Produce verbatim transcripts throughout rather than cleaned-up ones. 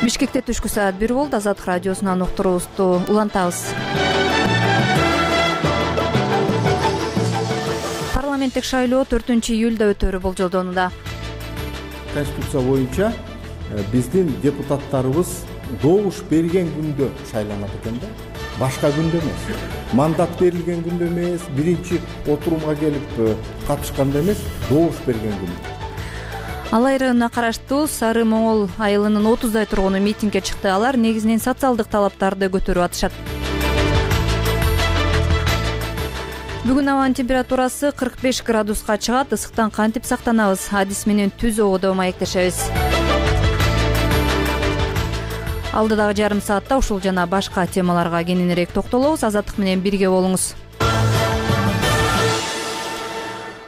Бишкекте түшкү саат бир болду. Азаттык радиосунан уктуруубузду улантабыз. Парламенттик шайлоо төртүнчү июлда өтөрү болжолдонууда. Конституция боюнча биздин депутаттарыбыз добуш берген күндө шайланат экен да. Башка күндө эмес. Мандат берилген күндө эмес, биринчи отурумга келип катышканда эмес, добуш берген күндө. Алай районуна караштуу Сары Моңол айылынын отуздай тургуну митингге чыкты. Алар негизинен социалдык талаптарды көтөрүп атышат. Бүгүн абанын температурасы кырк беш градуска чыгат. Ысыктан кантип сактанабыз? Адис менен түз ободо маектешебиз. Алдыдагы жарым саатта ушул жана башка темаларга кененирээк токтолобуз. Азаттык менен бирге болуңуз.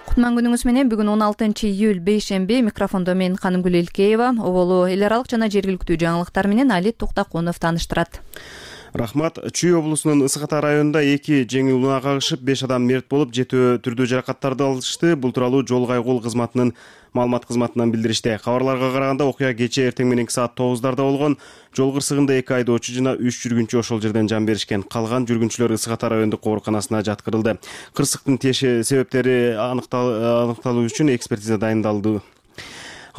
Кутман күнүңүз менен. Бүгүн он алтынчы июль бейшемби. Микрофондо мен Канымгүл Илкеева. Оболу эл аралык жана жергиликтүү жаңылыктар менен Али Туктакунов тааныштырат. Рахмат. Чүй облусунун Ысык Ата районунда эки жеңил унаа кагышып, беш адам мерт болуп, жетөө түрдүү жаракаттарды алышты. Бул тууралуу жол кайгул кызматынын маалымат кызматынан билдиришти. Кабарларга караганда окуя кечээ эртең мененки саат тогуздарда болгон. Жол кырсыгында эки айдоочу жана үч жүргүнчү ошол жерден жан беришкен. Калган жүргүнчүлөр Ысык Ата райондук ооруканасына жаткырылды. Кырсыктын теши себептери аныкталуу үчүн экспертиза дайындалды.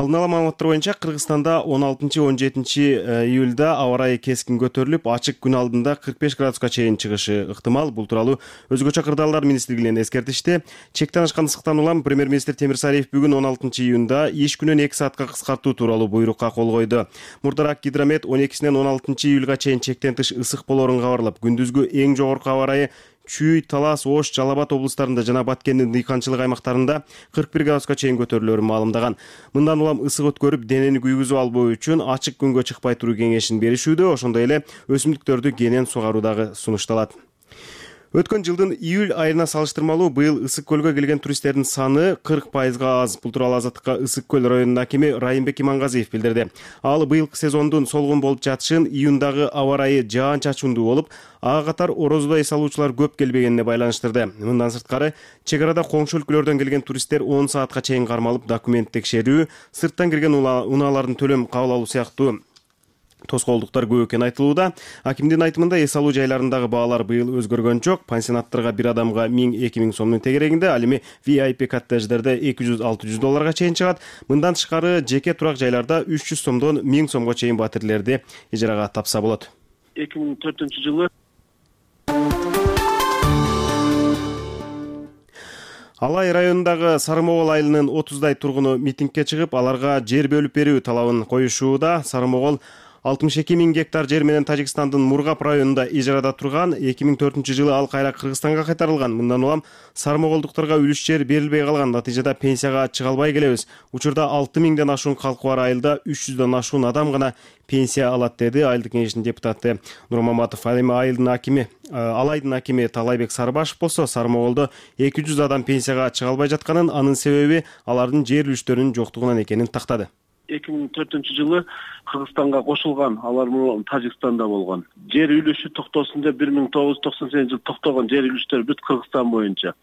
Алдын ала маалыматтар боюнча Кыргызстанда он алтынчы он жетинчи июлда аба ырайы кескин көтөрүлүп, ачык күн алдында кырк беш градуска чейин чыгышы ыктымал. Бул тууралуу өзгөчө кырдаалдар министрлигинен эскертишти. Чектен ашкан ысыктан улам премьер-министр Темирсариев бүгүн он алтынчы июнда иш күнүн эки саатка кыскартуу тууралуу буйрукка кол койду. Мурдараак Гидромет он экисинен он алтынчы июлга чейин чектен тыш ысык болоорун кабарлап, күндүзгү эң жогорку аба ырайы Чүй, Талас, Ош, Жалал Абад облустарында жана Баткендин дыйканчылык аймактарында кырк бир градуска чейин көтөрүлөөрүн маалымдаган. Мындан улам ысык өткөрүп, денени күйгүзүп албоо үчүн ачык күнгө чыкпай туруу кеңешин беришүүдө, ошондой эле өсүмдүктөрдү кенен сугаруу дагы сунушталат. Өткөн жылдын июль айына салыштырмалуу быйыл Ысык көлгө келген туристтердин саны кырк пайызга аз. Бул тууралуу Азаттыкка Ысык көл районунун акими Райымбек Имангазиев билдирди. Ал быйылкы сезондун солгун болуп жатышын июндагы аба ырайы жаан-чачындуу болуп, ага катар орозодо эс алуучулар көп келбегенине байланыштырды. Мындан сырткары, чек арада коңшу өлкөлөрдөн келген туристтер он саатка чейин кармалып, документ текшерүү, сырттан кирген унаалардын төлөм кабыл алуу сыяктуу тоскоолдуктар көп экени айтылууда. Акимдин айтымында эс алуу жайларындагы баалар быйыл өзгөргөн жок. Пансионаттарга бир адамга миң эки миң сомдун тегерегинде, ал эми ви ай пи коттедждерде эки жүз алты жүз долларга чейин чыгат. Мындан тышкары жеке турак жайларда үч жүз сомдон миң сомго чейин батирлерди ижарага тапса болот. эки миң төртүнчү жылы Алай районундагы Сары Моңол айылынын отуздай тургуну митингге чыгып, аларга жер бөлүп берүү талабын коюшууда. Сары Моңол алтымыш эки миң гектар жер менен Тажикстандын Мургап районунда ижарада турган. эки миң төртүнчү жылы ал кайра Кыргызстанга кайтарылган. Мындан улам Сары Моңолдуктарга үлүш жер берилбей калган. Натыйжада пенсияга чыга албай келебиз. Учурда алты миңден ашуун калкы бар айылда үч жүздөн ашуун адам гана пенсия алат, деди айылдык кеңештин депутаты Нурмаматов. Ал эми айылдын акими, Алайдын акими Талайбек Сарыбашев болсо, Сары Моңолдо эки жүз адам пенсияга чыга албай жатканын, анын себеби алардын жер үлүштөрүнүн жоктугунан экенин тактады. эки миң төртүнчү жылы Кыргызстанга кошулган, алар мурун Тажикстанда болгон. Жер үлүшү токтосун деп бир миң тогуз жүз токсон сегизинчи жылы токтогон жер үлүштөр бүт Кыргызстан боюнча.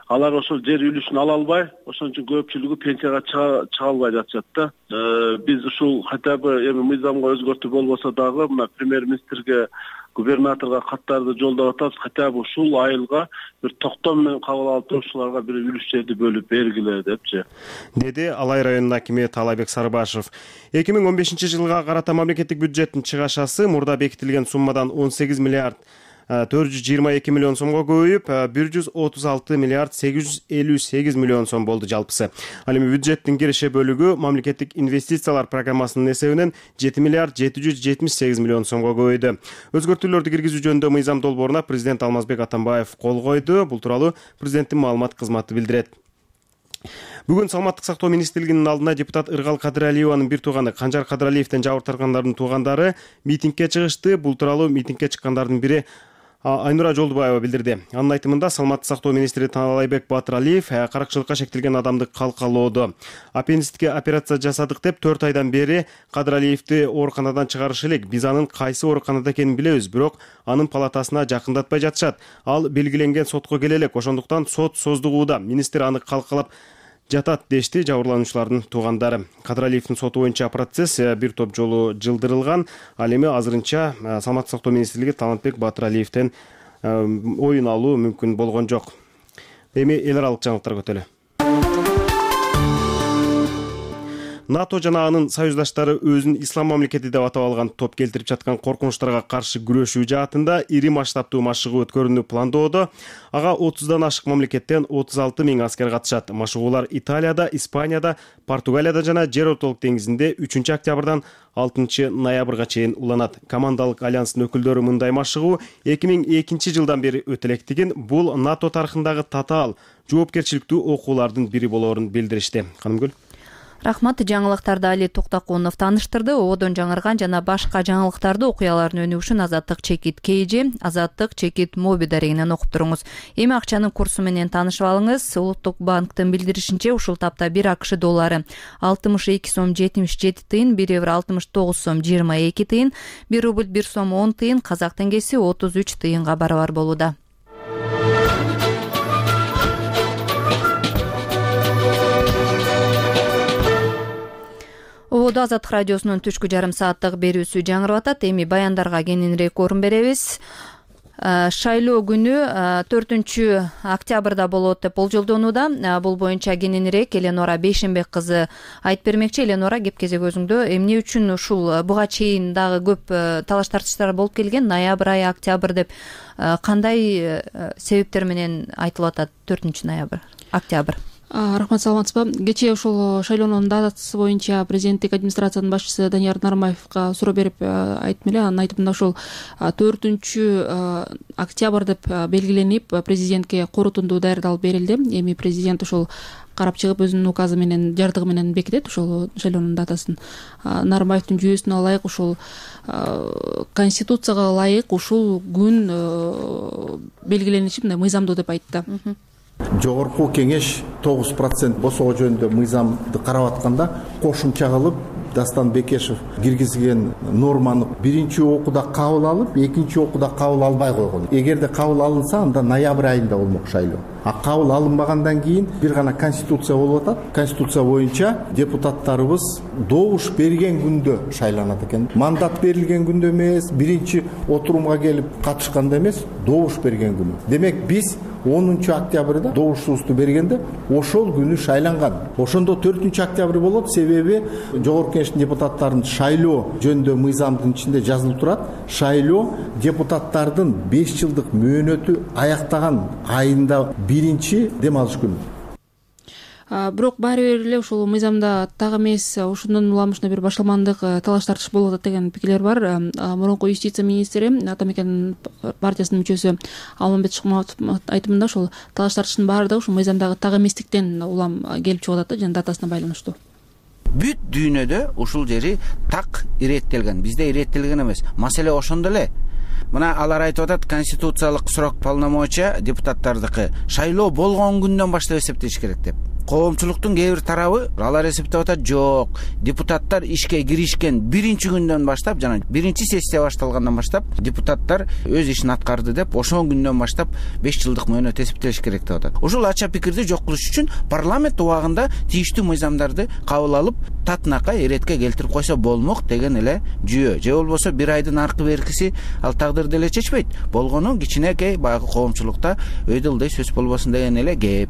Алар ошол жер үлүшүн ала албай, ошон үчүн көпчүлүгү пенсияга чыга албай жатышат да. Биз ушул хотя бы эми мыйзамга өзгөртүү болбосо дагы мына премьер-министрге, губернаторго каттарды жолдоп атабыз. Хотя бы ушул айылга бир токтом менен кабыл алып туруп, ушуларга бир үлүш жерди бөлүп бергиле депчи, деди Алай районунун акими Талайбек Сарыбашев. эки миң он бешинчи жылга карата мамлекеттик бюджеттин чыгашасы мурда бекитилген суммадан он сегиз миллиард төрт жүз жыйырма эки миллион сомго көбөйүп, бир жүз отуз алты миллиард сегиз жүз элүү сегиз миллион сом болду жалпысы. Ал эми бюджеттин киреше бөлүгү мамлекеттик инвестициялар программасынын эсебинен жети миллиард жети жүз жетимиш сегиз миллион сомго көбөйдү. Өзгөртүүлөрдү киргизүү жөнүндө мыйзам долбооруна президент Алмазбек Атамбаев кол койду. Бул тууралуу президенттин маалымат кызматы билдирет. Бүгүн Саламаттык сактоо министрлигинин алдына депутат Ыргал Кадыралиеванын бир тууганы Канжар Кадыралиевден жабыр тарткандардын туугандары митингге чыгышты. Бул тууралуу митингге чыккандардын бири Айнура Жолдубаева билдирди. Анын айтымында Саламаттык сактоо министри Таалайбек Батыралиев каракчылыкка шектелген адамды калкалоодо. Аппендицитке операция жасадык деп төрт айдан бери Кадыралиевди ооруканадан чыгарыш элек. Биз анын кайсы ооруканада экенин билебиз, бирок анын палатасына жакындатпай жатышат. Ал белгиленген сотко келе элек, ошондуктан сот создугууда. Министр аны калкалап жатат дешти жабырлануучулардын туугандары. Кадыралиевдин соту боюнча процесс бир топ жолу жылдырылган. Ал эми азырынча Саламаттык сактоо министрлиги Талантбек Батыралиевден оюн алуу мүмкүн болгон жок. Эми эл аралык жаңылыктар көтөлө. НАТО жана анын союздаштары өзүн ислам мамлекети деп атап алган топ келтирип жаткан коркунучтарга каршы күрөшүү жаатында ири масштабтуу машыгуу өткөрүүнү пландоодо. Ага отуздан ашык мамлекеттен отуз алты миң аскер катышат. Машыгуулар Италияда, Испанияда, Португалияда жана Жер ортолук деңизинде үчүнчү октябрдан алтынчы ноябрга чейин уланат. Командалык альянстын өкүлдөрү мындай машыгуу эки миң экинчи жылдан бери өтө электигин, бул НАТО тарыхындагы татаал, жоопкерчиликтүү окуулардын бири болоорун билдиришти. Канымгүл. Рахмат, жаңылыктарды Али Токтакунов тааныштырды. Ободон жаңырган жана башка жаңылыктарды, окуялардын өнүгүшүн үчүн Азаттык чекит Кейжи, Азаттык чекит Моби дарегинен окуп туруңуз. Эми акчанын курсу менен таанышып алыңыз. Улуттук банктын билдиришинче, ушул тапта бир АКШ доллары алтымыш эки сом жетимиш жети тыйын, бир евро алтымыш тогуз сом жыйырма эки тыйын, бир рубль бир сом он тыйын, казак теңгеси отуз үч тыйынга барабар болууда. Ободо Азаттык радиосунун түшкү жарым сааттык берүүсү жаңырып атат. Эми баяндарга кененирээк орун беребиз. Шайлоо күнү төртүнчү октябрда болот деп болжолдонууда. Бул боюнча кененирээк Эленора Бейшенбек кызы айтып бермекчи. Эленора, кеп кезек өзүңдө. Эмне үчүн ушул буга чейин дагы көп талаш тартыштар болуп келген? Ноябрь айы, октябрь деп кандай себептер менен айтылып атат төртүнчү ноябрь, октябрь? Рахмат, саламатсызбы? Кечээ ушул шайлоонун датасы боюнча президенттик администрациянын башчысы Данияр Нармаевга суроо берип айттым эле. Анын айтымында ушул төртүнчү октябрь деп белгиленип, президентке корутунду даярдалып берилди. Эми президент ушул карап чыгып өзүнүн указы менен, жардыгы менен бекитет ушул шайлоонун датасын. Нармаевдин жүйөсүнө ылайык, ушул конституцияга ылайык ушул күн белгилениши мындай мыйзамдуу деп айтты. Жогорку кеңеш тогуз процент босоо жөнүндө мыйзамды карап атканда кошумча кылып Дастан Бекешев киргизген норманы биринчи окууда кабыл алып, экинчи окууда кабыл албай койгон. Эгерде кабыл алынса, анда ноябрь айында болмок шайлоо. А кабыл алынбагандан кийин бир гана конституция болуп атат. Конституция боюнча депутаттарыбыз добуш берген күндө шайланат экен. Мандат берилген күндө эмес, биринчи отурумга келип катышканда эмес, добуш берген күнү. Демек биз онунчу октябрда добушубузду бергенде ошол күнү шайланган. Ошондо төртүнчү октябрь болот, себеби жогорку кеңештин депутаттарын шайлоо жөнүндө мыйзамдын ичинде жазылып турат. Шайлоо депутаттардын беш жылдык мөөнөтү аяктаган айында биринчи дем алыш күнү. Бирок баары бир эле ушул мыйзамда так эмес, ошондон улам ушундай бир башаламандык талаш тартыш болуп атат деген пикирлер бар. Мурунку юстиция министри, Ата мекен партиясынын мүчөсү Алмамбет Шыкмаматовдун айтымында ушул талаш тартыштын баары да ушул мыйзамдагы так эместиктен улам келип чыгып атат жана датасына байланыштуу. Бүт дүйнөдө ушул жери так иреттелген, бизде иреттелген эмес. Маселе ошондо эле. Мына алар айтып атат, конституциялык срок полномочия депутаттардыкы шайлоо болгон күндөн баштап эсептеш керек деп. Коомчулуктун кээ бир тарабы алар эсептеп атат, жок, депутаттар ишке киришкен биринчи күндөн баштап, жана биринчи сессия башталгандан баштап депутаттар өз ишин аткарды деп, ошол күндөн баштап беш жылдык мөөнөт эсептелиш керек деп атат. Ушул ача пикирди жок кылыш үчүн парламент убагында тийиштүү мыйзамдарды кабыл алып, татынакай эретке келтирип койсо болмок деген эле жүйө. Же болбосо бир айдын аркы беркиси ал тагдырды эле чечпейт. Болгону кичинекей баягы коомчулукта өйдө ылдый сөз болбосун деген эле кеп.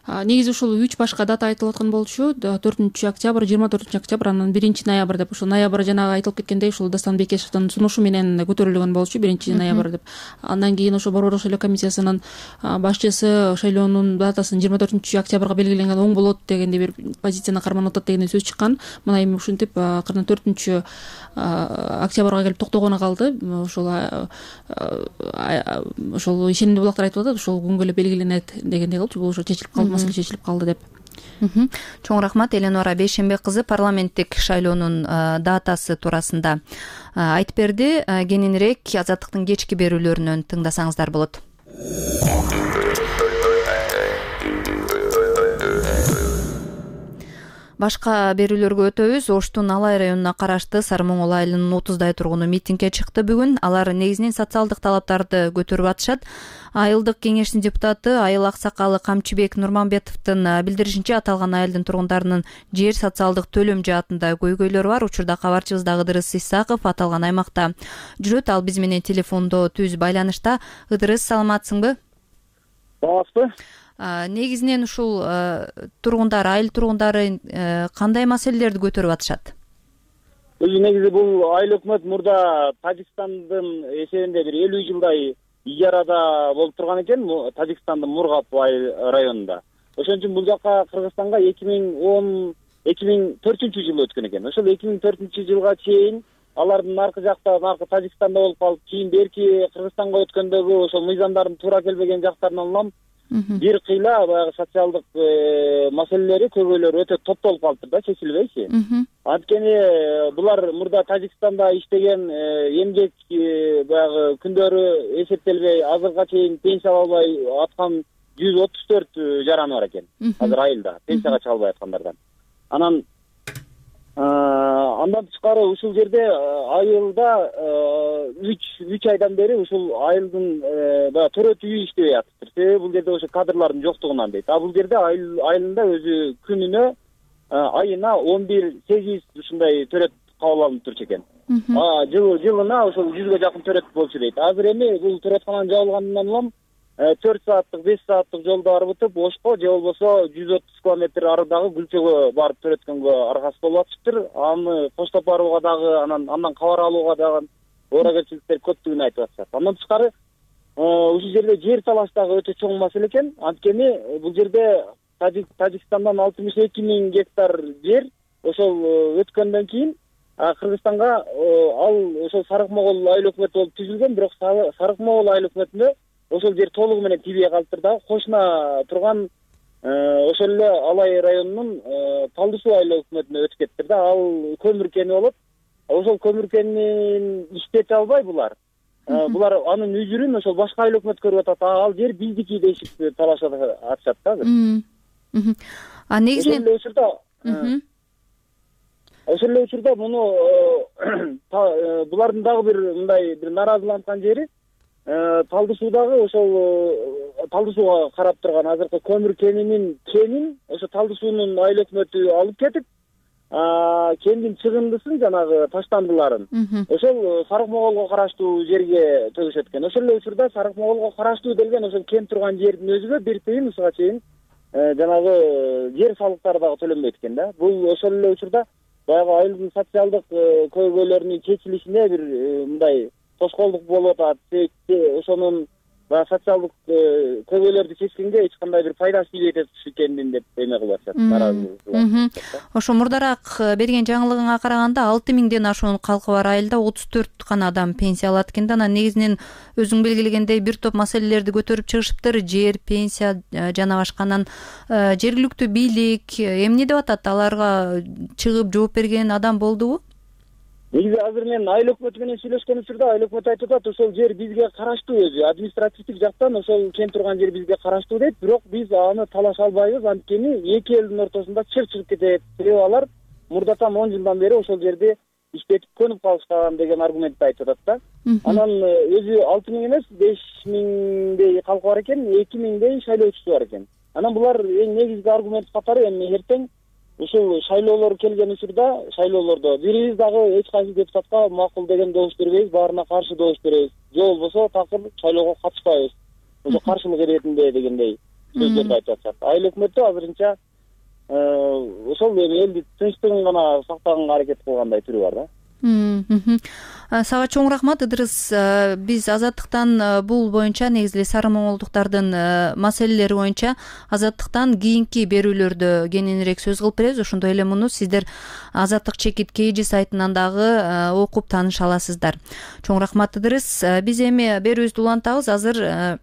Негизи ушул үч башка дата айтылып аткан болчу. төртүнчү октябрь, жыйырма төртүнчү октябрь, анан биринчи ноябрь деп. Ушул ноябрь жанагы айтылып кеткендей ушул Дастан Бекешевдин сунушу менен көтөрүлгөн болчу, биринчи ноябрь деп. Андан кийин ошо Борбордук шайлоо комиссиясынын башчысы шайлоонун датасын жыйырма төртүнчү октябрга белгиленген оң болот дегендей бир позицияны карманып атат дегендей сөз чыккан. Мына эми ушинтип акырын төртүнчү октябрга келип токтогону калды. Ошол ошол ишенимдүү булактар айтып атат, ошол күнгө эле белгиленет дегендей кылчу. Бул ошо чечилип калды, маселе чечилип калды деп. Чоң рахмат. Эленора Бейшенбек кызы парламенттик шайлоонун датасы туурасында айтып берди. Кененирээк Азаттыктын кечки берүүлөрүнөн тыңдасаңыздар болот. Башка берүүлөргө өтөбүз. Оштун Алай районуна караштуу Сары Моңол айылынын отуздай тургуну митингге чыкты бүгүн. Алар негизинен социалдык талаптарды көтөрүп атышат. Айылдык кеңештин депутаты айыл аксакалы Камчыбек Нурманбетовдун билдиришинче, аталган айылдын тургундарынын жер социалдык төлөм жаатында көйгөйлөрү бар. Учурда кабарчыбыздагы Ыдырыс Исаков аталган аймакта жүрөт. Ал биз менен телефондо түз байланышта. Ыдырыс, саламатсыңбы? Саламатсызбы? Негизинен ушул тургундар, айыл тургундары кандай маселелерди көтөрүп атышат? Негизи бул айыл өкмөт мурда Тажикстандын эсебинде бир элүү жылдай ижарада болуп турган экен, Тажикстандын Мургап районунда. Ошон үчүн бул жака Кыргызстанга эки миң он эки миң төртүнчү жылы өткөн экен. Ошол эки миң төртүнчү жылга чейин алардын аркы жакта, аркы Тажикстанда болуп калып, кийин берки Кыргызстанга өткөндөгү ошол мыйзамдардын туура келбеген жактарынан улам бир кыйла баягы социалдык маселелери, көйгөйлөрү өтө топтолуп калыптыр да, чечилбейчи. Анткени булар мурда Тажикстанда иштеген эмгек баягы күндөрү эсептелбей, азыркыга чейин пенсия албай аткан жүз отуз төрт жараны бар экен азыр айылда, пенсияга чыга албай аткандардан. Анан андан тышкары ушул жерде айылда үч айдан бери ушул айылдын баягы төрөт үйү иштебей атыптыр. Себеби бул жерде ошо кадрлардын жоктугунан дейт. А бул жерде айылында өзү күнүнө айына он бир сегиз ушундай төрөт кабыл алынып турчу экен. Жылына ошол жүзгө жакын төрөт болчу дейт. Азыр эми бул төрөткананын жабылганынан улам төрт сааттык, беш сааттык жолду арбытып, Ошко же болбосо жүз отуз километр арыдагы Гүлчөгө барып төрөткөнгө аргасыз болуп атыштыр. Аны коштоп барууга дагы, анан андан кабар алууга дагы ооракерчиликтер көптүгүн айтып атышат. Андан тышкары ушул жерде жер талаш дагы өтө чоң маселе экен. Анткени бул жерде Тажикстандан алтымыш эки миң гектар жер ошол өткөндөн кийин Кыргызстанга ал ошол Сарык Моңол айыл өкмөтү болуп түзүлгөн, бирок Сарык Моңол айыл өкмөтүндө ошол жер толугу менен тийбей калыптыр да. Кошуна турган ошол эле Алай районунун Талды суу айыл өкмөтүнө өтүп кетиптир да. Ал көмүр кени болот. Ошол көмүр кенин иштете албай булар. Булар анын үзүрүн ошол башка айыл өкмөт көрүп атат. Ал жер биздики дейишип талашып атышат да азыр. А негизинен ошол эле учурда ошол эле учурда муну булардын дагы бир мындай бир нааразыланткан жери Талды суудагы ошол Талды сууга карап турган азыркы көмүр кенинин кенин ошо Талды суунун айыл өкмөтү алып кетип, кендин чыгындысын жанагы таштандыларын ошол Сарык Моңолго караштуу жерге төгүшөт экен. Ошол эле учурда Сарык Моңолго караштуу делген ошол кен турган жердин өзүгө бир тыйын ушуга чейин жанагы жер салыктары дагы төлөнбөйт экен да. Бул ошол эле учурда баягы айылдын социалдык көйгөйлөрүнүн чечилишине бир мындай тоскоолдук болуп атат. Ошонун баягы социалдык көйгөйлөрдү чечкенге эч кандай бир пайдасы тийбей экендин деп эме кылып атышат, нааразы. Ошо мурдараак берген жаңылыгыңа караганда алты миңден ашуун калкы бар айылда отуз төрт гана адам пенсия алат экен да. Анан негизинен өзүң белгилегендей бир топ маселелерди көтөрүп чыгышыптыр. Жер, пенсия жана башканан жергиликтүү бийлик эмне деп атат? Аларга чыгып жооп берген адам болдубу? Негизи азыр мен айыл өкмөтү менен сүйлөшкөн учурда айыл өкмөтү айтып атат, ошол жер бизге караштуу, өзү административдик жактан ошол кен турган жер бизге караштуу дейт, бирок биз аны талаша албайбыз, анткени эки элдин ортосунда чыр чыгып кетет. Себеби алар мурдатан он жылдан бери ошол жерди иштетип көнүп калышкан деген аргументти айтып атат да. Анан өзү алты миң эмес, беш миңдей калкы бар экен, эки миңдей шайлоочусу бар экен. Анан булар эң негизги аргумент катары эми эртең ушул шайлоолор келген учурда, шайлоолордо бирибиз дагы эч кайсы депутатка макул деген добуш бербейбиз, баарына каршы добуш беребиз. Же болбосо такыр шайлоого катышпайбыз. Ошо каршылык иретинде дегендей сөздөрдү айтып атышат. Айыл өкмөтү азырынча ошол эми элдин тынчтыгын гана сактаганга аракет кылгандай түрү бар да. Сага чоң рахмат, Ыдырыс. Биз Азаттыктан бул боюнча, негизи Сары Моңолдуктардын маселелери боюнча Азаттыктан кийинки берүүлөрдө кененирээк сөз кылып беребиз. Ошондой эле муну сиздер Азаттык чекит Кж сайтынан дагы окуп тааныша аласыздар. Чоң рахмат, Ыдырыс. Биз эми берүүбүздү улантабыз. Азыр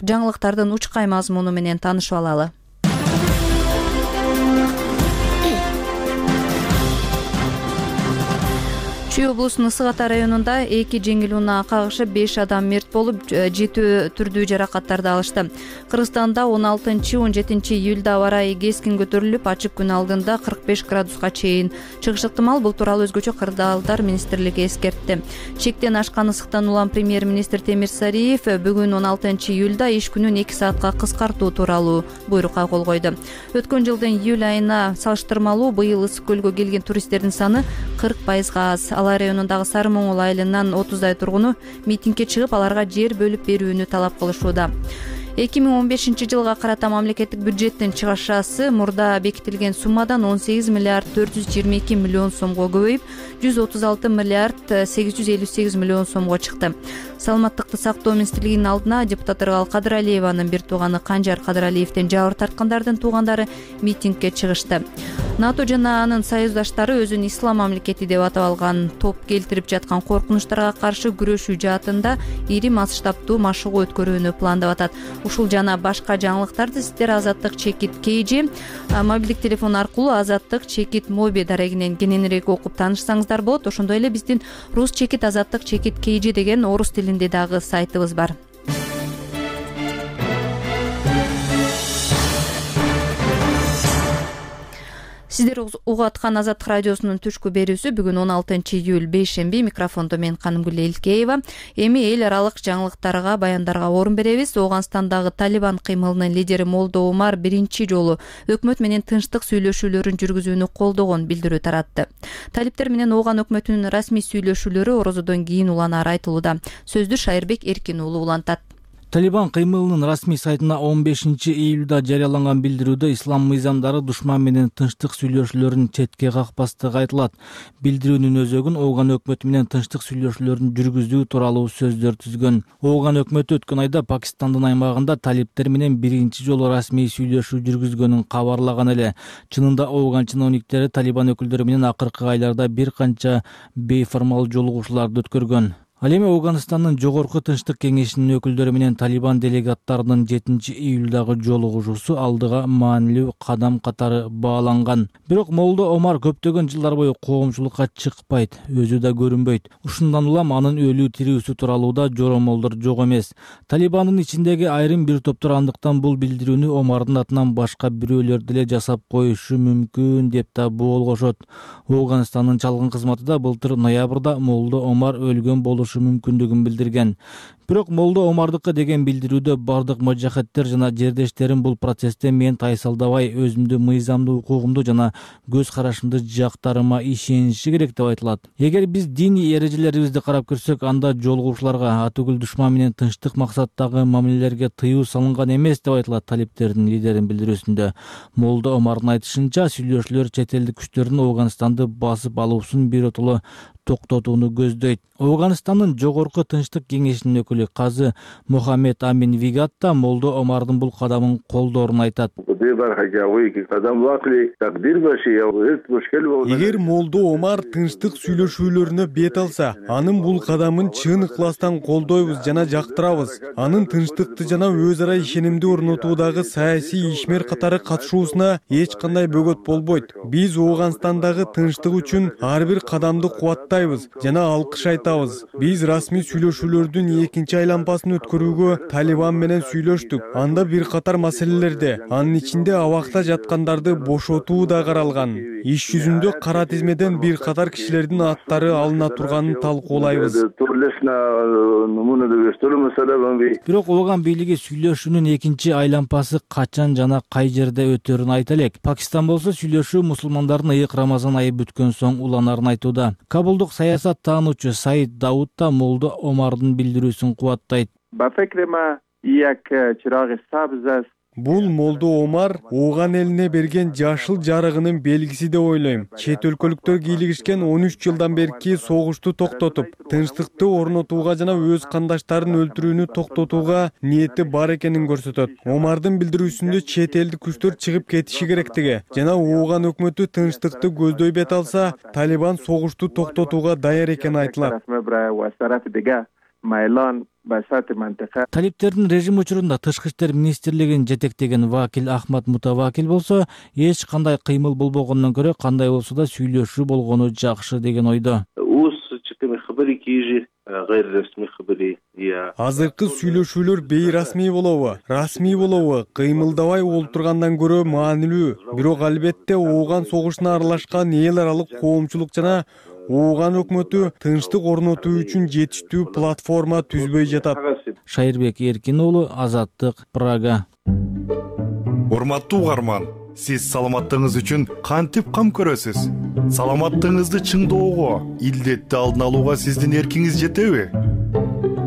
жаңылыктардын учкай мазмуну менен таанышып алалы. Чүй облусунун Ысык Ата районунда эки жеңил унаа кагышып беш адам мерт болуп, жетөө түрдүү жаракаттарды алышты. Кыргызстанда он алтынчы он жетинчи июлда аба ырайы кескин көтөрүлүп, ачык күн алдында кырк беш градуска чейин чыгышы ыктымал. Бул тууралуу өзгөчө Кырдаалдар министрлиги эскертти. Чектен ашкан ысыктан улам премьер-министр Темир Сариев бүгүн он алтынчы июлда иш күнүн эки саатка кыскартуу тууралуу буйрукка кол койду. Өткөн жылдын июль айына салыштырмалуу быйыл Ысык көлгө келген туристтердин саны кырк пайызга аз. Алай районундагы Сары Моңол айылынан отуздай тургуну митингге чыгып, аларга жер бөлүп берүүнү талап кылышууда. эки миң он бешинчи жылга карата мамлекеттик бюджеттин чыгашасы мурда бекитилген суммадан он сегиз миллиард төрт жүз жыйырма эки миллион сомго көбөйүп, жүз отуз алты миллиард сегиз жүз элүү сегиз миллион сомго чыкты. Саламаттыкты сактоо министрлигинин алдына депутат Ыргал Кадыралиеванын бир тууганы Канжар Кадыралиевден жабыр тарткандардын туугандары митингге чыгышты. НАТО жана анын союздаштары өзүн ислам мамлекети деп атап алган топ келтирип жаткан коркунучтарга каршы күрөшүү жаатында ири масштабтуу машыгуу өткөрүүнү пландап атат. Ушул жана башка жаңылыктарды сиздер Азаттык чекит Кейжи мобилдик телефон аркылуу Азаттык чекит Моби дарегинен кененирээк окуп таанышсаңыздар болот. Ошондой эле биздин рус чекит Азаттык чекит Кейжи деген орус тилинде дагы сайтыбыз бар. Сиздер угуп аткан Азаттык радиосунун түшкү берүүсү бүгүн он алтынчы июль бейшемби. Микрофондо мен Канымгүл Элкеева. Эми эл аралык жаңылыктарга, баяндарга орун беребиз. Ооганстандагы Талибан кыймылынын лидери Молдо Омар биринчи жолу өкмөт менен тынчтык сүйлөшүүлөрүн жүргүзүүнү колдогон билдирүү таратты. Талиптер менен Ооган өкмөтүнүн расмий сүйлөшүүлөрү орозодон кийин уланары айтылууда. Сөздү Шайырбек Эркин уулу улантат. Талибан кыймылынын расмий сайтына он бешинчи июлда жарыяланган билдирүүдө ислам мыйзамдары душман менен тынчтык сүйлөшүүлөрүн четке какпастыгы айтылат. Билдирүүнүн өзөгүн Ооган өкмөтү менен тынчтык сүйлөшүүлөрүн жүргүзүү тууралуу сөздөр түзгөн. Ооган өкмөтү өткөн айда Пакистандын аймагында талиптер менен биринчи жолу расмий сүйлөшүү жүргүзгөнүн кабарлаган эле. Чынында Ооган чиновниктери Талибан өкүлдөрү менен акыркы айларда бир канча бейформал жолугушууларды өткөргөн. Ал эми Ооганстандын жогорку тынчтык кеңешинин өкүлдөрү менен Талибан делегаттарынын жетинчи июлдагы жолугушуусу алдыга маанилүү кадам катары бааланган. Бирок Молдо Омар көптөгөн жылдар бою коомчулукка чыкпайт, өзү да көрүнбөйт. Ушундан улам анын өлүү тирүүсү тууралуу да жоромолдор жок эмес. Талибандын ичиндеги айрым бир топтор андыктан бул билдирүүнү Омардын атынан башка бирөөлөр деле жасап коюшу мүмкүн деп да боолгошот. Ооганстандын чалгын кызматы да былтыр ноябрда Молдо Омар өлгөн болушу мүмкүндүгүн билдирген. Бирок Молдо Омардыкы деген билдирүүдө бардык мажахеттер жана жердештерим бул процессте мен тайсалдабай, өзүмдү мыйзамдуу укугумду жана көз карашымды жактарыма ишениши керек деп айтылат. Эгер биз диний эрежелерибизди карап көрсөк, анда жолугушууларга, атүгүл душман менен тынчтык максаттагы мамилелерге тыюу салынган эмес деп айтылат талиптердин лидеринин билдирүүсүндө. Молдо Омардын айтышынча, сүйлөшүүлөр чет элдик күчтөрдүн Ооганстанды басып алуусун биротоло токтотууну көздөйт. Ооганстандын жогорку тынчтык кеңешинин өкүлү казы Мохаммед Амин Вигатта Молдо Омардын бул кадамын колдоорун айтат. Эгер Молдо Омар тынчтык сүйлөшүүлөрүнө бет алса, анын бул кадамын чын ыкластан колдойбуз жана жактырабыз. Анын тынчтыкты жана өз ара ишенимди орнотуудагы саясий ишмер катары катышуусуна эч кандай бөгөт болбойт. Биз Ооганстандагы тынчтык үчүн ар бир кадамды кубаттайбыз жана алкыш айтабыз. Биз расмий сүйлөшүүлөрдүн экинчи айланпасын өткөрүүгө Талибан менен сүйлөштүк. Анда бир катар маселелерде, анын ичинде абакта жаткандарды бошотуу да каралган. Иш жүзүндө кара тизмеден бир катар кишилердин аттары алына турганын талкуулайбыз. Бирок Ооган бийлиги сүйлөшүүнүн экинчи айланпасы качан жана кай жерде өтөрүн айта элек. Пакистан болсо сүйлөшүү мусулмандардын ыйык Рамазан айы бүткөн соң уланарын айтууда. Кабулдук саясат таануучу Саид Дауд да Молдо Омардын билдирүүсүн кубаттайт. Бул Молдо Омар Ооган элине берген жашыл жарыгынын белгиси деп ойлойм. Чет өлкөлүктөр кийлигишкен он үч жылдан берки согушту токтотуп, тынчтыкты орнотууга жана өз кандаштарын өлтүрүүнү токтотууга ниети бар экенин көрсөтөт. Омардын билдирүүсүндө чет элдик күчтөр чыгып кетиши керектиги жана Ооган өкмөтү тынчтыкты көздөй бет алса, Талибан согушту токтотууга даяр экени айтылат. Талиптердин режим учурунда тышкы иштер министрлигин жетектеген вакил Ахмад Мутавакил болсо, эч кандай кыймыл болбогондон көрө кандай болсо да сүйлөшүү болгону жакшы деген ойдо. خبري كيجي غير رسمي خبري. Азыркы сүйлөшүүлөр бейрасмий болобу, расмий болобу, кыймылдабай олтургандан көрө маанилүү. Бирок албетте ооган согушуна аралашкан эл аралык коомчулук жана ооган өкмөтү тынчтык орнотуу үчүн жетиштүү платформа түзбөй жатат. Шайырбек Эркин уулу, Азаттык, Прага. Урматтуу угарман, сиз саламаттыгыңыз үчүн кантип кам көрөсүз? Саламаттыгыңызды чыңдоого, илдетти алдын алууга сиздин эркиңиз жетеби?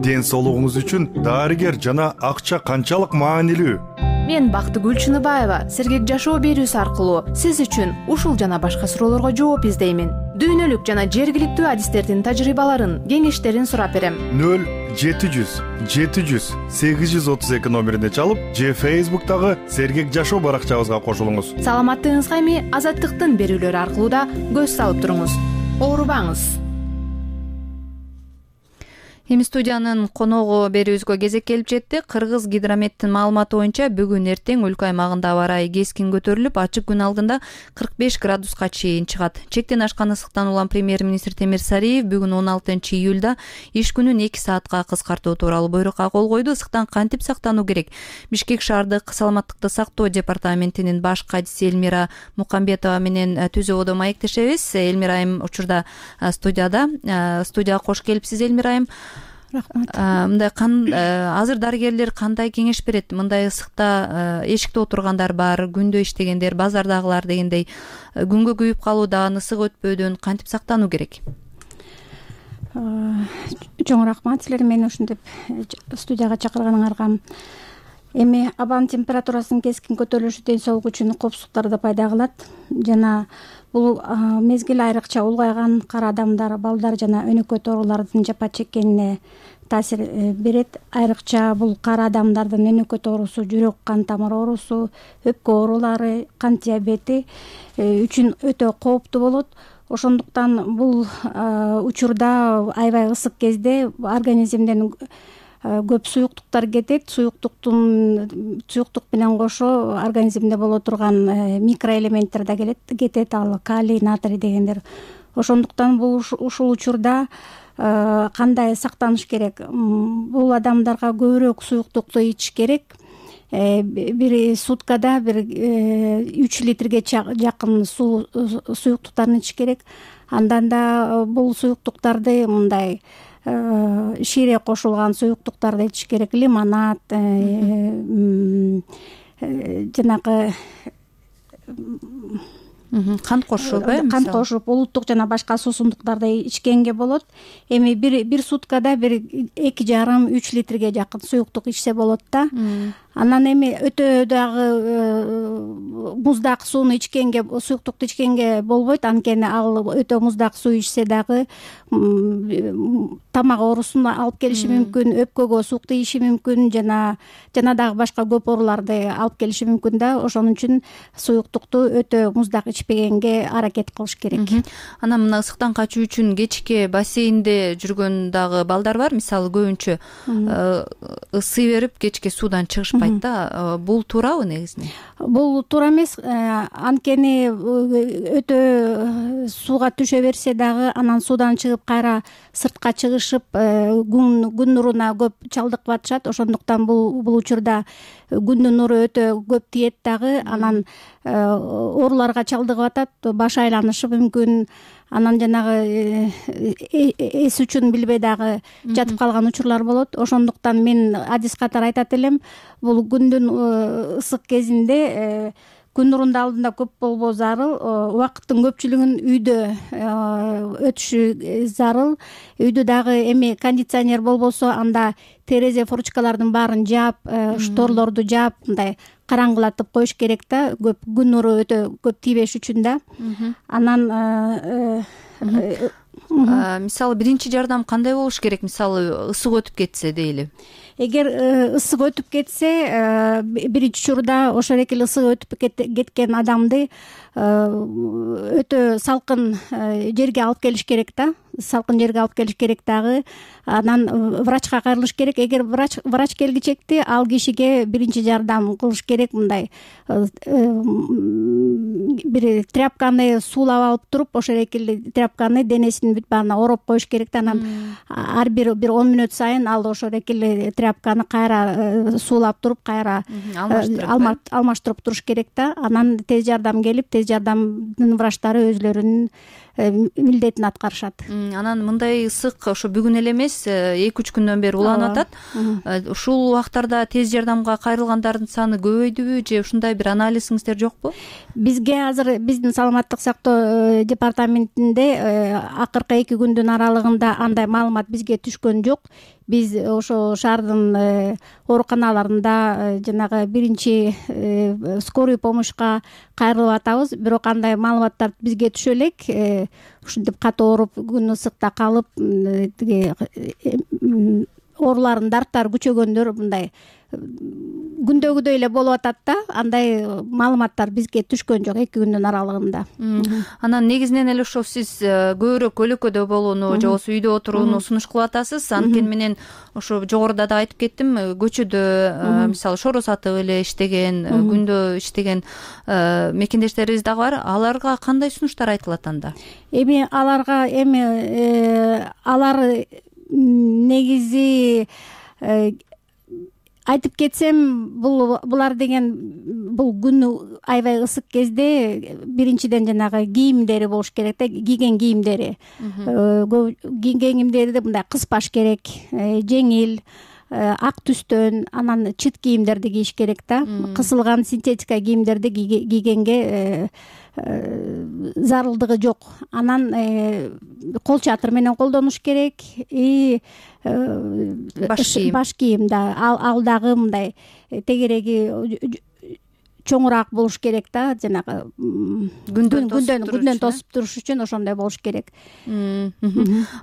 Ден соолугуңуз үчүн дарыгер жана акча канчалык маанилүү? Мен Бактыгүл Чыныбаева сергек жашоо берүүсү аркылуу сиз үчүн ушул жана башка суроолорго жооп издеймин. Дүйнөлүк жана жергиликтүү адистердин тажрыйбаларын, кеңештерин сурап берем. нөл жети жүз жети жүз сегиз жүз отуз эки номерине чалып, же Фейсбуктагы сергек жашоо баракчабызга кошулуңуз. Саламаттыгыңызга эми Азаттыктын берүүлөрү аркылуу да көз салып туруңуз. Оорубаңыз. Эми студиянын коногу берүүбүзгө кезек келип жетти. Кыргыз гидрометтин маалыматы боюнча бүгүн эртең өлкө аймагында аба ырайы кескин көтөрүлүп, ачык күн алдында кырк беш градуска чейин чыгат. Чектен ашкан ысыктан улам премьер-министр Темир Сариев бүгүн он алтынчы июлда иш күнүн эки саатка кыскартуу тууралуу буйрукка кол койду. Ысыктан кантип сактануу керек? Бишкек шаардык саламаттыкты сактоо департаментинин баш кадиси Элмира Мукамбетова менен түзүү ободо маектешебиз. Элмира айым учурда студияда. Студияга кош келипсиз, Элмира айым. Рахмат. Мындай азыр дарыгерлер кандай кеңеш берет? Мындай ысыкта эшикте отургандар бар, күндө иштегендер, базардагылар дегендей күнгө күйүп калуудан, ысык өтпөөдөн кантип сактануу керек? Чоң рахмат силерге мени ушинтип студияга чакырганыңарга. Эми абанын температурасынын кескин көтөрүлүшү ден соолук үчүн коопсуздуктарды пайда кылат жана бул мезгил айрыкча улгайган кара адамдар, балдар жана өнөкөт оорулардын жапа чеккенине таасир берет. Айрыкча бул кара адамдардын өнөкөт оорусу, жүрөк кан тамыр оорусу, өпкө оорулары, кант диабети үчүн өтө кооптуу болот. Ошондуктан бул учурда аябай ысык кезде организмден көп суюктуктар кетет. Суюктуктун суюктук менен кошо организмде боло турган микроэлементтер да келет кетет, ал калий, натрий дегендер. Ошондуктан бул ушул учурда кандай сактаныш керек? Бул адамдарга көбүрөөк суюктукту ичиш керек. Бир суткада бир үч литрге жакын суу суюктуктарын ичиш керек. Андан да бул суюктуктарды мындай шире кошулган суюктуктарды ичиш керек. Лимонад, жанагы кант кошуп, э? Кант кошуп, улуттук жана башка суусундуктарды ичкенге болот. Эми бир бир суткада бир эки жарым үч литрге жакын суюктук ичсе болот да. Анан эми өтө дагы муздак сууну ичкенге, суюктукту ичкенге болбойт. Анткени ал өтө муздак суу ичсе дагы тамак оорусун алып келиши мүмкүн, өпкөгө суук тийиши мүмкүн жана жана дагы башка көп ооруларды алып келиши мүмкүн да. Ошон үчүн суюктукту өтө муздак ичпегенге аракет кылыш керек. Анан мына ысыктан качуу үчүн кечке бассейнде жүргөн дагы балдар бар. Мисалы көбүнчө ысый берип кечке суудан чыгышпайт да. Бул туурабы негизинен? Бул туура эмес. Анткени өтө сууга түшө берсе дагы анан суудан чыгып кайра сыртка чыгышып күн күн нуруна көп чалдыгып атышат. Ошондуктан бул бул учурда күндүн нуру өтө көп тиет дагы, анан ооруларга чалдыгып атат, баш айланышы мүмкүн. Анан жанагы эс үчүн билбей дагы жатып калган учурлар болот. Ошондуктан мен адис катары айтат элем, бул күндүн ысык кезинде күн нурунун алдында көп болбоо зарыл, убакыттын көпчүлүгүн үйдө өтүшү зарыл. Үйдө дагы эми кондиционер болбосо анда терезе фурчкалардын баарын жаап, шторлорду жаап, мындай караңгылатып коюш керек да, көп күн нуру өтө көп тийбеш үчүн да. Анан мисалы биринчи жардам кандай болуш керек? Мисалы ысык өтүп кетсе дейли. Эгер ысык өтүп кетсе, биринчи учурда ошол экил ысык өтүп кеткен адамды өтө салкын жерге алып келиш керек да. салкын жерге алып келиш керек дагы, анан врачка кайрылыш керек. Эгер врач врач келгичекти, ал кишиге биринчи жардам кылыш керек. Мындай бир тряпканы суулап алып туруп, ошол экили тряпканы денесинин бүт баарына ороп коюш керек да, анан ар бир бир он мүнөт сайын ал ошол экили тряпканы кайра суулап туруп, кайра алмаштырып туруш керек да. Анан тез жардам келип, тез жардамдын врачтары өзлөрүнүн милдетин аткарышат. Анан мындай ысык ошо бүгүн эле эмес, эки үч күндөн бери уланып атат. Ушул убактарда тез жардамга кайрылгандардын саны көбөйдүбү же ушундай бир анализиңиздер жокпу? Бизге азыр биздин саламаттык сактоо департаментинде акыркы эки күндүн аралыгында андай маалымат бизге түшкөн жок. Биз ошо шаардын ооруканаларында жанагы биринчи скорый помощька кайрылып атабыз, бирок андай маалыматтар бизге түшө элек. Ушинтип катуу ооруп, күн ысыкта калып, тиги ооруларын дарттары күчөгөндөр мындай күндөгүдөй эле болуп атат да. Андай маалыматтар бизге түшкөн жок эки күндүн аралыгында. Анан негизинен эле ошо сиз көбүрөөк өлөкөдө болууну же болбосо үйдө отурууну сунуш кылып атасыз. Анткени менен ошо жогоруда да айтып кеттим, көчөдө мисалы шоро сатып эле иштеген, күндө иштеген мекендештерибиз дагы бар. Аларга кандай сунуштар айтылат анда? Эми аларга эми алар негизи айтып кетсем, бул булар деген бул күн аябай ысык кезде биринчиден жанагы кийимдери болуш керек да, кийген кийимдери. Кийген кийимдерди мындай кыспаш керек, жеңил, ак түстөн, анан чыт кийимдерди кийиш керек да. Кысылган синтетика кийимдерди кийгенге зарылдыгы жок. Анан кол чатыр менен колдонуш керек. И баш кийим да, ал дагы мындай тегереги чоңураак болуш керек да, жанагы күндөн күндөн тосуп туруш үчүн ошондой болуш керек.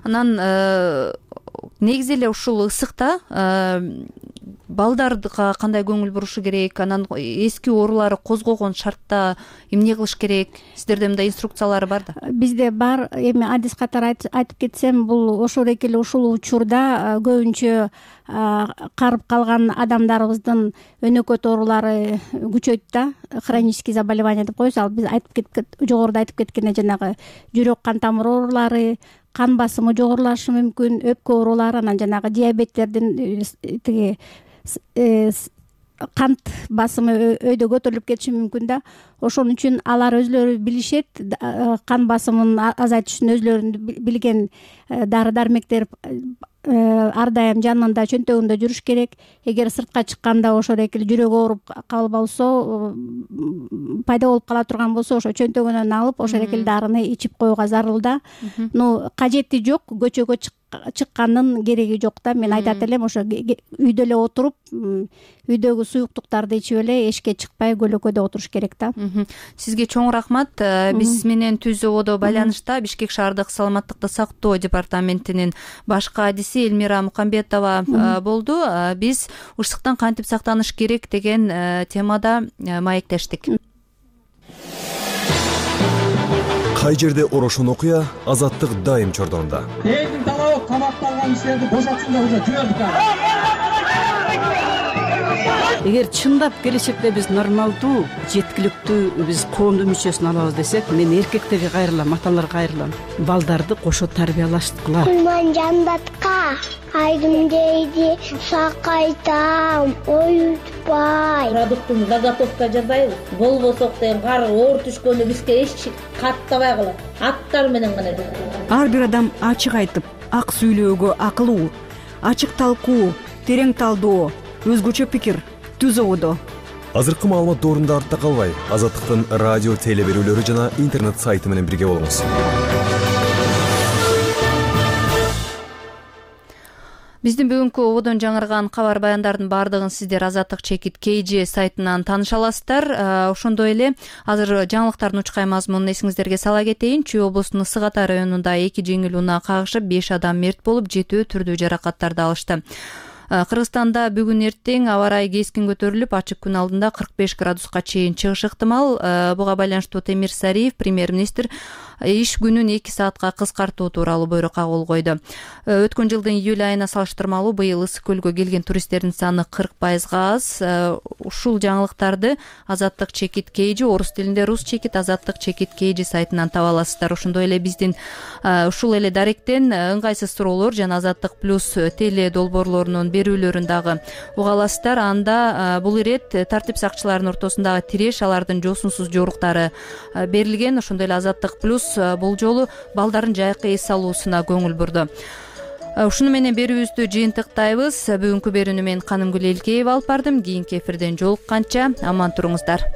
Анан негизи эле ушул ысыкта балдарга кандай көңүл бурушу керек, анан эски оорулары козгогон шартта эмне кылыш керек? Сиздерде мындай инструкциялар бар да? Бизде бар. Эми адис катары айтып кетсем, бул ошол экили ушул учурда көбүнчө карып калган адамдарыбыздын өнөкөт оорулары күчөйт да, хронический заболевание деп коебуз. Ал биз айтып кеткен, жогоруда айтып кеткендей жанагы жүрөк кан тамыр оорулары, кан басымы жогорулашы мүмкүн, өпкө оорулары, анан жанагы диабеттердин тиги кант басымы өйдө көтөрүлүп кетиши мүмкүн да. Ошон үчүн алар өзлөрү билишет, кан басымын азайтыш үчүн өзлөрүнүн билген дары дармектер ар дайым жанында, чөнтөгүндө жүрүш керек. Эгер сыртка чыкканда ошол экили жүрөгү ооруп калбосо, пайда болуп кала турган болсо, ошо чөнтөгүнөн алып ошол экили дарыны ичип коюуга зарыл да. Ну, кажети жок, көчөгө чыккандын кереги жок да. Мен айтат элем, ошо үйдө эле отуруп, үйдөгү суюктуктарды ичип эле эшикке чыкпай көлөкөдө отуруш керек да. Сизге чоң рахмат. Биз менен түз ободо байланышта Бишкек шаардык саламаттыкты сактоо департаментинин башкы адиси Элмира Мукамбетова болду. Биз ысыктан кантип сактаныш керек деген темада маектештик. Кай жерде орошон окуя, азаттык дайым чордонунда. Элдин талабы камакталган кишилерди бошотсун деп уже жибердик. Эгер чындап келечекте биз нормалдуу, жеткиликтүү биз коомдун мүчөсүн алабыз десек, мен эркектерге кайрылам, аталарга кайрылам. Балдарды кошо тарбиялаштыкыла. Кулман жандатка айдым дейди, сакайтам, оютпай. Продуктун заготовка жасайбыз. Болбосок деген кар оор түшкөндө бизге эч каттабай калат. Аттар менен гана жасайбыз. Ар бир адам ачык айтып, ак сүйлөөгө акылуу, ачык талкуу, терең талдоо, өзгөчө пикир, түз ободо. Азыркы маалымат доорунда артта калбай, Азаттыктын радио теле берүүлөрү жана интернет сайты менен бирге болуңуз. Биздин бүгүнкү ободон жаңырган кабар баяндардын баардыгын сиздер Азаттык чекит кей же сайтынан тааныша аласыздар. Ошондой эле азыр жаңылыктардын учкай мазмунун эсиңиздерге сала кетейин. Чүй облусунун Ысык Ата районунда эки жеңил унаа кагышып, беш адам мерт болуп, жетөө түрдүү жаракаттарды алышты. Кыргызстанда бүгүн эртең аба ырайы кескин көтөрүлүп, ачык күн алдында кырк беш градуска чейин чыгышы ыктымал. Буга байланыштуу Темир Сариев, премьер-министр, иш күнүн эки саатка кыскартуу тууралуу буйрукка кол койду. Өткөн жылдын июль айына салыштырмалуу быйыл Ысык көлгө келген туристтердин саны кырк пайызга аз. Ушул жаңылыктарды Азаттык чекит кейжи, орус тилинде рус чекит, Азаттык чекит кейжи сайтынан таба аласыздар. Ошондой эле биздин ушул эле даректен ыңгайсыз суроолор жана Азаттык плюс теле долбоорлорунун берүүлөрүн дагы уга аласыздар. Анда бул ирет тартип сакчыларынын ортосундагы тиреш, алардын жоосунсуз жоруктары берилген. Ошондой эле Азаттык плюс бул жолу балдардын жайкы эс алуусуна көңүл бурду. Ушуну менен берүүбүздү жыйынтыктайбыз. Бүгүнкү берүүнү мен Канымгүл Элкеева алып бардым. Кийинки эфирден жолукканча аман туруңуздар.